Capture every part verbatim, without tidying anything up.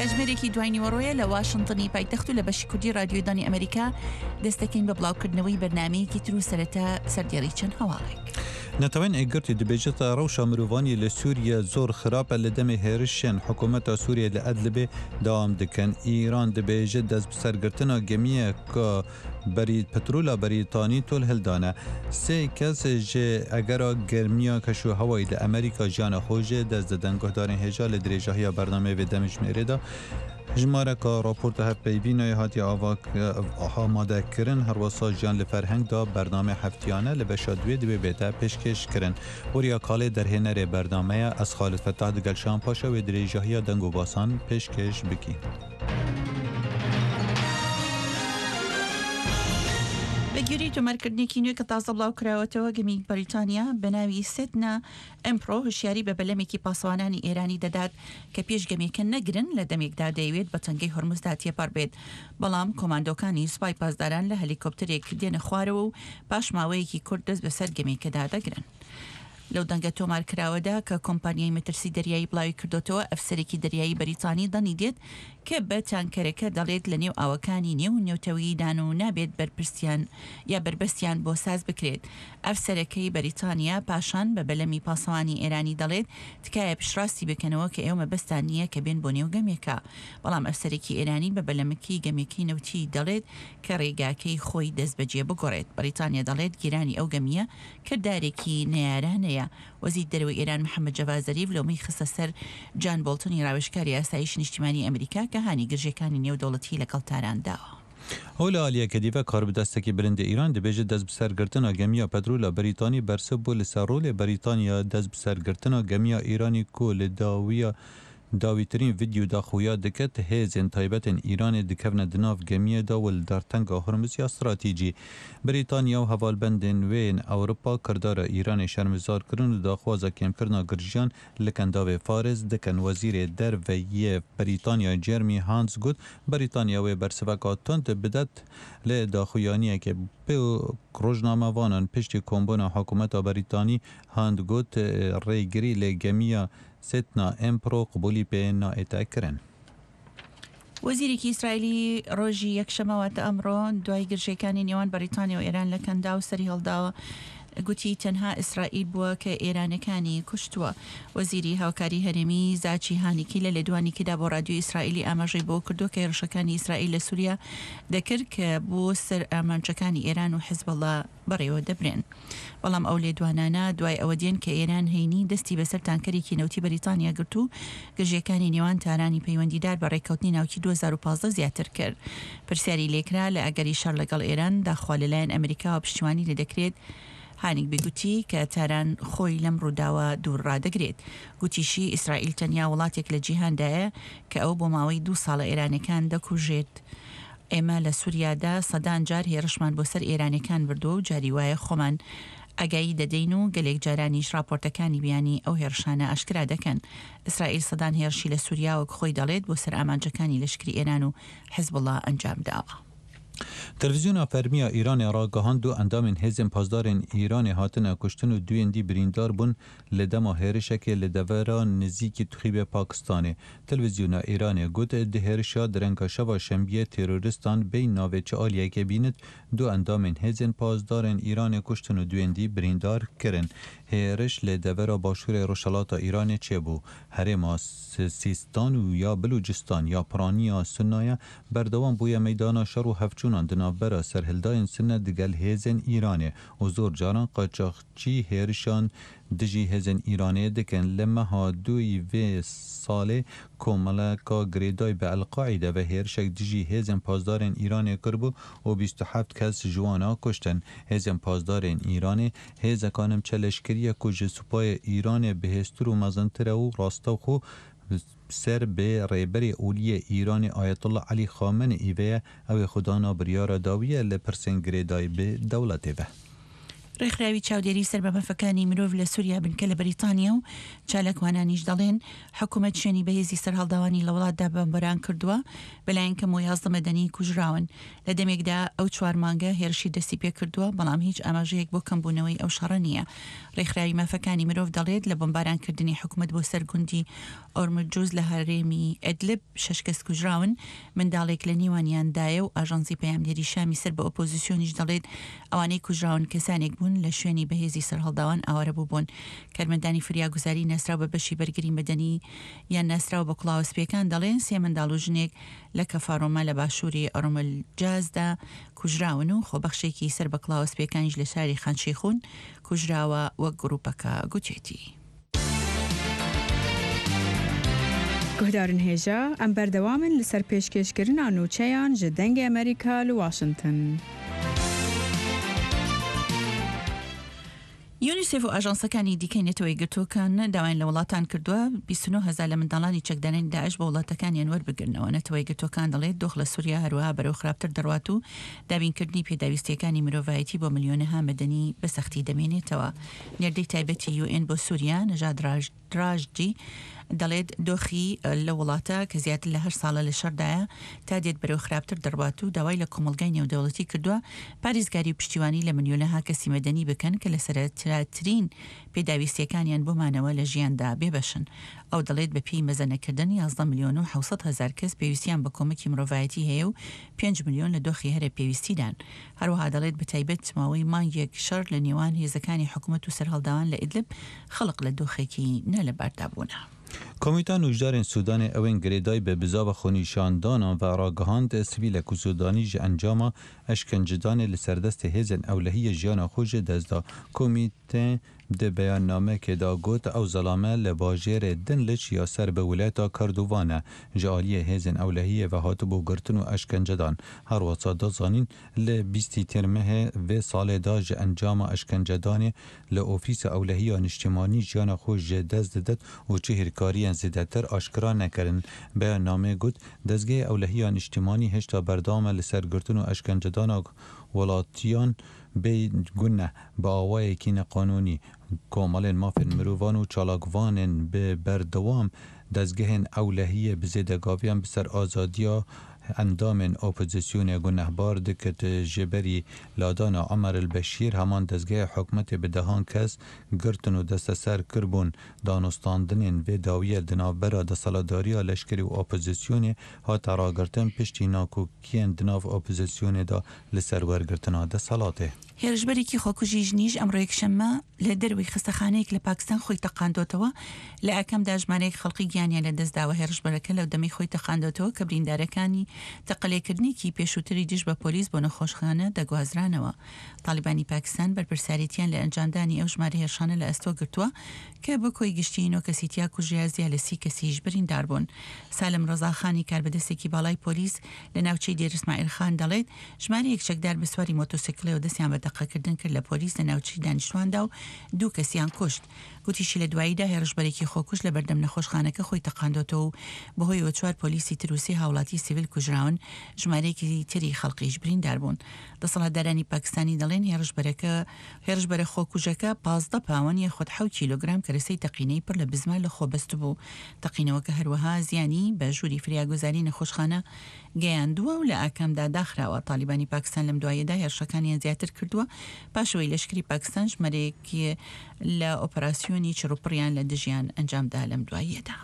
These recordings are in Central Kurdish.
کاتژمێرێکی دوای نیوەڕۆیە لە واشنتنی پایتەخت و لە بەشی کوردی رادیۆی دەنگی ئەمریکا دەست دەکەین بە بڵاوکردنەوەی بەرنامەیەکی تر و سەرەتا سەردێڕی چەند هەواڵێک. نەتەوەێن یەکگرتوو دبێژێت ڕەوشا مرۆڤانی لە سووریە زۆر خراپە لە دەمێ هێرشێن حکوومەتا سووریە لە ئەدلبێ دەوام دکەن. ئیران دبێژێت دەست بسەرگرتنا گەمیەکا بەری پترولا بەریتانی تۆل هەلدانە. سێ کەس ژ ئەگەرا گەرمیا کەش و هەوای لە ئەمریکا ژیانا خۆ ژ دەست ددەن. گوهدارێن هێژا لە درێژاهیا بەرنامەێ ڤێ دەمژمێرێدا ژمارەکا ڕاپۆرتە هەڤپەیڤینای هاتیە ئامادە کرن هەروەسا ژیان لە فەرهەنگدا بەرنامەێ هەفتیانە لە بەشا دوێ دوێ بێتە پێشکێش کرن. وریا کاڵێ دەرهێنەرێ بەرنامەیە ئەز خالد فەتاح دگەل شان پاشا وێ درێژاهیا دەنگ و باسان پێشکێش بکین. بە گوێرەی تۆمارکردنێکی نوێ کە تازە بڵاو کراوەتەوە، گەمی بەریتانیا بە ناوی سێتنا ئەمپرۆ هۆشیاری بە بەلەمێکی پاسەوانانی ئێرانی دەدات کە پێش گەمێکە نەگرن لە دەمێکدا دەیەوێت بە تەنگەی هۆرمزدا تێپەڕ بێت، بەڵام کۆماندۆکانی سوپای پاسداران لە هەلیکۆپتەرێک دێنە خوارەوە و پاش ماوەیەکی کورت دەست بەسەر گەمێکەدا دەگرن. لەو دەنگە تۆمارکراوەدا کە کۆمپانیای مەترسی دەریایی بڵاوی کردوتەوە، ئەفسەرێکی دەریایی بەریتانی دەنگی دێت کە بە تانکەرەکە دەڵێت لە نێو ئاوەکانی نێو نێوتەوەیدان و نابێت بەرپرسیان یا بەربەستیان بۆ ساز بکرێت. ئەفسەرەکەی بەریتانیا پاشان بە بەلەمی پاسەوانی ئێرانی دەڵێت تکایە پشتڕاستی بکەنەوە کە ئێوە مەبەستان نییە کە بێن بۆ نێو گەمێکە. بەڵام ئەفسەرێکی ئێرانی بە بەلەمەکەی گەمێکی نەوتی دەڵێت کە ڕێگاکەی خۆی دەست بەجێ بگۆڕێت. بەریتانیا دەڵێت گیرانی ئەو گەمیە کردارێکی نەیارانەیە. وەزیر دەرەوەی ئێران محەممەد جەڤاد زەریف لۆمەی خستە سەر جان بۆڵتنی ڕاوێژکاری ئاسایشی نیشتیمانی ئەمریکا کە هانی گرژیەکانی نێودەوڵەتی لەگەڵ تاران داوە. ئەو لە ئالیەکێ دی ڤە کاربدەستەکی بلندێ ئیران دبێژێت دەست بسەرگرتنا گەمیا پترولا بەریتانی بەرسڤ بوو لەسەر ڕۆلێ بەریتانیا دەست بسەرگرتنا گەمیا ئیرانی کو لە داویا داویترین ڤیدیۆدا خویا دکت هێزێن تایبەتێن ئیرانێ دکەڤنە دناڤ گەمیێدا و ل دەرتەنگا هورمز یا ستراتیجی. بریتانیا و هەڤالبەندێن وێ ئەوروپا کردارا ئیرانێ شەرمزار کرن و داخوازا کێمکرنا گرژیان لە کەنداڤێ فارس دکەن. وەزیرێ دەرڤە یێ بریتانیا جێرمی هانت گوت بریتانیا وێ بەرسڤەکا توند بدەت لە داخویانیەکێ بۆ ڕۆژنامەڤانان پشتی کۆمبوونا حکوومەتا بەریتانی هانت گوت ڕێگری لە گەمیا سێتنا ئەمپرۆ قبولی پێ نائێتە کرن. وەزیرێکی ئیسرائیلی ڕۆژی یەکشەممە واتە ئەمڕۆ دوای گرژیەکانی نێوان بەریتانیا و ئێران لە کەنداو سەری هەڵداوە گوتی تەنها ئیسرائیل بووە کە ئێرانەکانی کوشتووە. وەزیری هاوکاری هەرێمی زاچی هانیکی لە لێدوانێکیدا بۆ رادیۆی ئیسرائیلی ئاماژەی بۆ کردووە کە هێرشەکانی ئیسرائیل لە سووریا دەکرد کە بۆ سەر ئامانجەکانی ئێران و حزبەڵا بەڕێوە دەبرێن. بەڵام ئەو لێدوانانە دوای ئەوە دێن کە ئێران هەینی دەستی بەسەر تانکەرێکی نەوتی بەریتانیا گرت و گرژیەکانی نێوان تارانی پەیوەندیدار بە ڕێککەوتنی ناوکی دوو هەزار و پازدە زیاتر کرد. پرسیاری لێکرا لە ئەگەری شەڕ لەگەڵ ئێران داخوا لەلایەن ئەمریکاوە پشتیوانی لێ دەکرێت. هانیگبی گوتی کە تاران خۆی لەم ڕووداوە دوور ڕادەگرێت. گوتیشی ئیسرائیل تەنیا وڵاتێک لە جیهاندایە کە ئەو بۆ ماوەی دوو ساڵە ئێرانەکان دەکوژێت. ئێمە لە سووریادا سەدان جار هێرشمان بۆ سەر ئێرانەکان بردووە و جاری وایە خۆمان ئاگایی دەدەین و گەلێک جارانیش راپۆرتەکانی بیانی ئەو هێرشانە ئاشکرا دەکەن. ئیسرائیل سەدان هێرشی لە سووریا وەک خۆی دەڵێت بۆ سەر ئامانجەکانی لەشکری ئێران و حزبوڵڵا ئەنجام داوە. تەلەڤیزیۆنا فەرمییا ئیرانێ ڕاگەهاند دوو ئەندامێن هێزێن پاسدارێن ئیرانێ هاتنە کوشتن و دوێن دی بریندار بوون لە دەما هێرشەکێ لە دەڤەرا نزیکی تخویبێ پاکستانێ. تەلەڤیزیۆنا ئیرانێ گوت دە هێرشا درەنگا شەڤا شەمبیێ تێرۆریستان بێی ناڤێ چ ئالیەکێ بینت دوو ئەندامێن هێزێن پاسدارێن ئیرانێ کوشتن و دوێن دی بریندار کرن. هێرش لە دەڤەرا باشوورێ ڕۆژهەڵاتا ئیرانێ چێ بوو. هەرێما سیستان و یا بلوجستان یا پرانیا سنایە بەردەوام بوویە مەیدانا شەڕ و هەڤچوونان دناڤبەرا سەرهەلدایێن سنە دگەل هێزێن ئیرانێ و زۆر جاران قاچاخچی هێرشان دژی هێزێن ئیرانێ دکەن. لە مەها دوی ڤێ ساڵێ کۆمەڵەکا گرێدای بە ئەلقاعیدە ڤە هێرشەک دژی هێزێن پاسدارێن ئیرانێ کربوو و بیست و هەفت کەس ژ وانا کوشتن. هێزێن پاسدارێن ئیرانێ هێزەکا نیمچە لەشکریە کو ژ سوپاێ ئیرانێ بەهێزتر و مەزنترە و ڕاستەوخۆ سەر بە ڕێبەرێ ئۆلیێ ئیرانێ ئایەتوڵڵا عەلی خامنەئی ڤەیە ئەوێ خودانا بریارا داویە لە پرسێن گرێدای بە دەوڵەتێ ڤە. ڕێکخراوی چاودێری سەر بە مافەکانی مرۆڤ لە سووریا بنکە لە بەریتانیا و چالاکوانانیش دەڵێن حکوومەت شوێنی بەهێزی سەرهەڵداوانی لە وڵاتدا بەمبەران کردووە، بەلایەن کەمەوە یازدە مەدەنی کوژراون. لە دەمێکدا ئەو چوار مانگە هێرشی دەستی پێکردووە، بەڵام هیچ ئاماژەیەک بۆ کەمبوونەوەی ئەو شەڕە نییە. ڕێکخراوی مافەکانی مرۆڤ دەڵێت لە بۆمبارانکردنی حکوومەت بۆ سەر گوندی ئۆرمجوز لە هەرێمی ئەدلب شەش کەس کوژراون، منداڵێک لە نێوانیاندایە و ئاژانسی پەیامنێری شامی سەر بە ئۆپۆزیسیۆنیش دەڵێت ئەوانەی کوژراون کەسانێک بوون لە شوێنی بەهێزی سەرهەڵداوان ئاوارە بووبوون. کارمەندانی فریاگوزاری ناسراو بە بەشی بەرگری مەدەنی یان ناسراو بە کڵاوە سپیەکان دەڵێن سێ منداڵ و ژنێک لە کەفارۆما لە باشووری ئۆرملجازدا کوژراون و خۆبەخشێکی سەر بە کڵاوە سپیەکانیش لە شاری خان شەیخون کوژراوە وەک گروپەکە گوتێتی. گوهدارن هێژا ئەم بەردەوامن لەسەر پێشکێشکردنا نوچەیان ji دەنگê Amerîka li Washington. یونیسێف و ئاژانسەکانی دیکەی نەتەوە یەکگرتووەکان داوایان لە وڵاتان کردووە بیست و نۆ هەزار لە منداڵانی چەکدارانی داعش بۆ وڵاتەکانیان وەربگرنەوە. نەتەوە یەکگرتووەکان دەڵێت دۆخ لە سووریا هەروەها بەرەو خراپتر دەڕوات و دابینکردنی پێداویستیەکانی مرۆڤایەتی بۆ ملیۆنەها مەدەنی بە سەختی دەمێنێتەوە. نێردەی تایبەتی یو ئێن بۆ سووریا نەژاد ڕاژدی دەڵێت دۆخی لە وڵاتە کە زیاتر لە هەر ساڵە لە شەردایە تا دێت بەرەو خراپتر دەڕوات و داوای لە کۆمەڵگای نێودەوڵەتی کردووە پارێزگاری و پشتیوانی لە ملیۆنەها کەسی مەدەنی بکەن کە لە سەرەترین پێداویستیەکانیان بۆ مانەوە لە ژیاندا بێبەشن. ئەو دەڵێت بە پێی مەزەنەکردن یازدە ملیۆن و حەوت سەد هەزار کەس پێویستیان بە کۆمەکی مرۆڤایەتی هەیە و پێنج ملیۆن لە دۆخی هەرە پێویستیدان. هەروەها دەڵێت بە تایبەت ماوەی مانگێک شەڕ لە نێوان هێزەکانی حکوومەت و سەرهەڵداوان لە ئیدلب خەڵک لە دۆخێکی نالەباردا بوونە. کۆمیتە نوژدارên Sûdanê ew ên girêdayî bi bizava xwenîşandanan ve ragihand sivîlek û Sûdanî ji encama eşkencedanê li ser destê hêzên ewlehiyê jiyana xwe ji dest da. Komîte di beyannameyekê de got ew zelame li bajêrê Dinliç ya ser bi wîlayeta Kordofan e ji aliyê hêzên ewlehiyê ve hatibû girtin û eşkencedan. Her wisa da zanîn li bîstî Tîrmehê vê salê de ji encama eşkencedanê li Ofîsa Ewlehiya Niştimanî jiyana xwe ji dest didit û çi hêrkariyên zêdetir aşkera nekirin. Beyannameyê got dezgehê Ewlehiya Niştimanî hêşta berdewam e li ser girtin û eşkencedana welatiyan bê guneh bi awayekî neqanûnî komalên mafên mirovan û çalakvanên bi berdewam dezgehên ewlehiyê bi zêdegaviyan bi ser azadiya endamên opozisyonê gunehbar dikit ji berî ladana Omer el-Beşîr heman dezgehê hikûmetê bi dehan kes girtin û desteser kiribûn. Danûstandinên vê dawiyê di navbera desthilatdariya leşkerî û opozisyonê hate ragirtin piştî nakokiyên di nav opozisyonê de li ser wergirtina desthilatê. هێرشبەرێکی خۆکوژی ژنیش ئەمڕۆ یەکشەممە لە دەروی خەستەخانەیەک لە پاکستان خۆی تەقاندۆتەوە. لە ئاکامدا ژمارەیەک خەڵکی گیانیان لەدەستداوە. هێرشبەرەکە لەو دەمەی خۆی تەقاندۆتەوە کە بریندارەکانی تەقەلێکردنێکی پێشووتری دژ بە پۆلیس بۆ نەخۆشخانە دەگوازرانەوە. تالیبانی پاکستان بەرپرسیارێتیان لە ئەنجامدانی ئەو ژمارە هێرشانە لە ئەستۆ گرتووە کە بە کۆی گشتی نۆ کەسی تیا کوژرا زیاد لە سی کەسیش بریندار بوون. سالم ڕەزاخانی کاربەدەستێکی باڵای پۆلیس لە ناوچەی دێر ئیسماعیل خان دەڵێت ژمارەیەک چەکدار بە سواری مۆتۆسیکلەوە دەستیان بە تەقەکردن کرد لە پۆلیس لە ناوچەی دانیشتواندا و دوو کەسیان کوشت. گوتیشی لە دواییدا هێرشبەرێکی خۆکوش لە بەردەم نەخۆشخانەکە خۆی تەقاندۆتەوە و بەهۆیەوە چوار پۆلیسی تر و سێ هاوڵاتی سیڤیل کوژراون، ژمارەیەکی تری خەڵکیش بریندار بوون. دەسەڵاتدارانی پاکستانی دەڵێن هێرشبەرەکە هێرشبەرە خۆکوژەکە پازدە پاوەن یاخود حەوت کیلۆگرام کەرەسەی تەقینەی پڕ لە بزمار لە خۆ بەستبوو. تەقینەوەکە هەروەها زیانی بە ژووری فریاگوزاری نەخۆشخانە گەیاندووە و لە ئاکامدا داخراوە. تالیبانی پاکستان لەم دوایەدا هێرشەکانیان زیاتر کردووە پاشەوەی لەشکری پاکستان ژمارەیەکی لە ئۆپەراسیۆنی چڕوپڕیان لە دژیان ئەنجامدا لەم دواییەدا.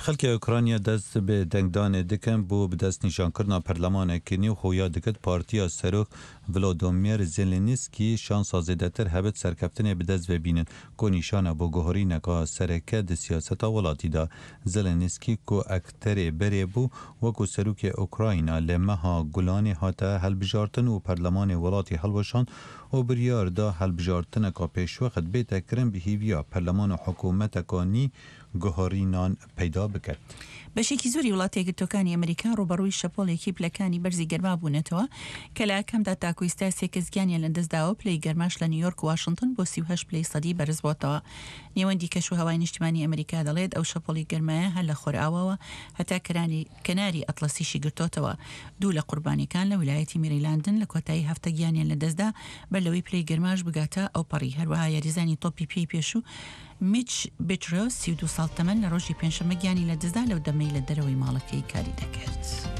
خەڵکی ئۆکرانیا دەست بە دەنگدانێ دەکەن بۆ بەدەستنیشانکردنا پەرلەمانێکی نوێ خۆیا دەکرد پارتیا سەرۆک ڤلادیمیر زێلێنسکی شانسا زێدەتر هەبێت سەرکەفتنێ بەدەست ببینن کۆ نیشانە بۆ گۆهرینەکە سەرەکە di siyaseta welatî de. Zelenskiy ku akterê berê bû wekû serokê Ukrayna li meha Gulanê hate hilbijartin û perlemanê welatî hilweşand û biryar da hilbijartineka pêşwext bête kirin bi hêviya perleman û hikûmeteka nî guherînan peyda biket. بەشێکی زۆری وڵاتە یەکگرتووەکانی ئەمریکا ڕووبەڕووی شەپۆڵێکی پلەکانی بەرزی گەرما بوونەتەوە کە لە ئاکامدا تاکو ئێستا سێ کەس گیانیان لەدەستداوە. پلەی گەرماش لە نیویۆرک و واشنگتن بۆ سی و هەشت پلەی سەدی بەرز بۆتەوە. نێوەندی کەشوهەوای نیشتمانی ئەمریکا دەڵێت ئەو شەپۆڵی گەرمایە هەر لە خۆرئاواوە هەتا کەناری ئەتڵەسیشی گرتۆتەوە. دوو لە قوربانیەکان لە ویلایەتی میریلاندن لە کۆتایی هەفتە گیانیان لەدەستدا بەر لەوەی پلەی گەرماش بگاتە ئەوپەڕی. هەروەها یاریزانی تۆپی پێی پێشوو میچ بێترۆس سی و دوو ساڵ تەمەن لە ڕۆژی پێنجشەممە گیانی لەدەستدا لەو دەمەی لە دەرەوەی ماڵەکەی کاری دەکرد.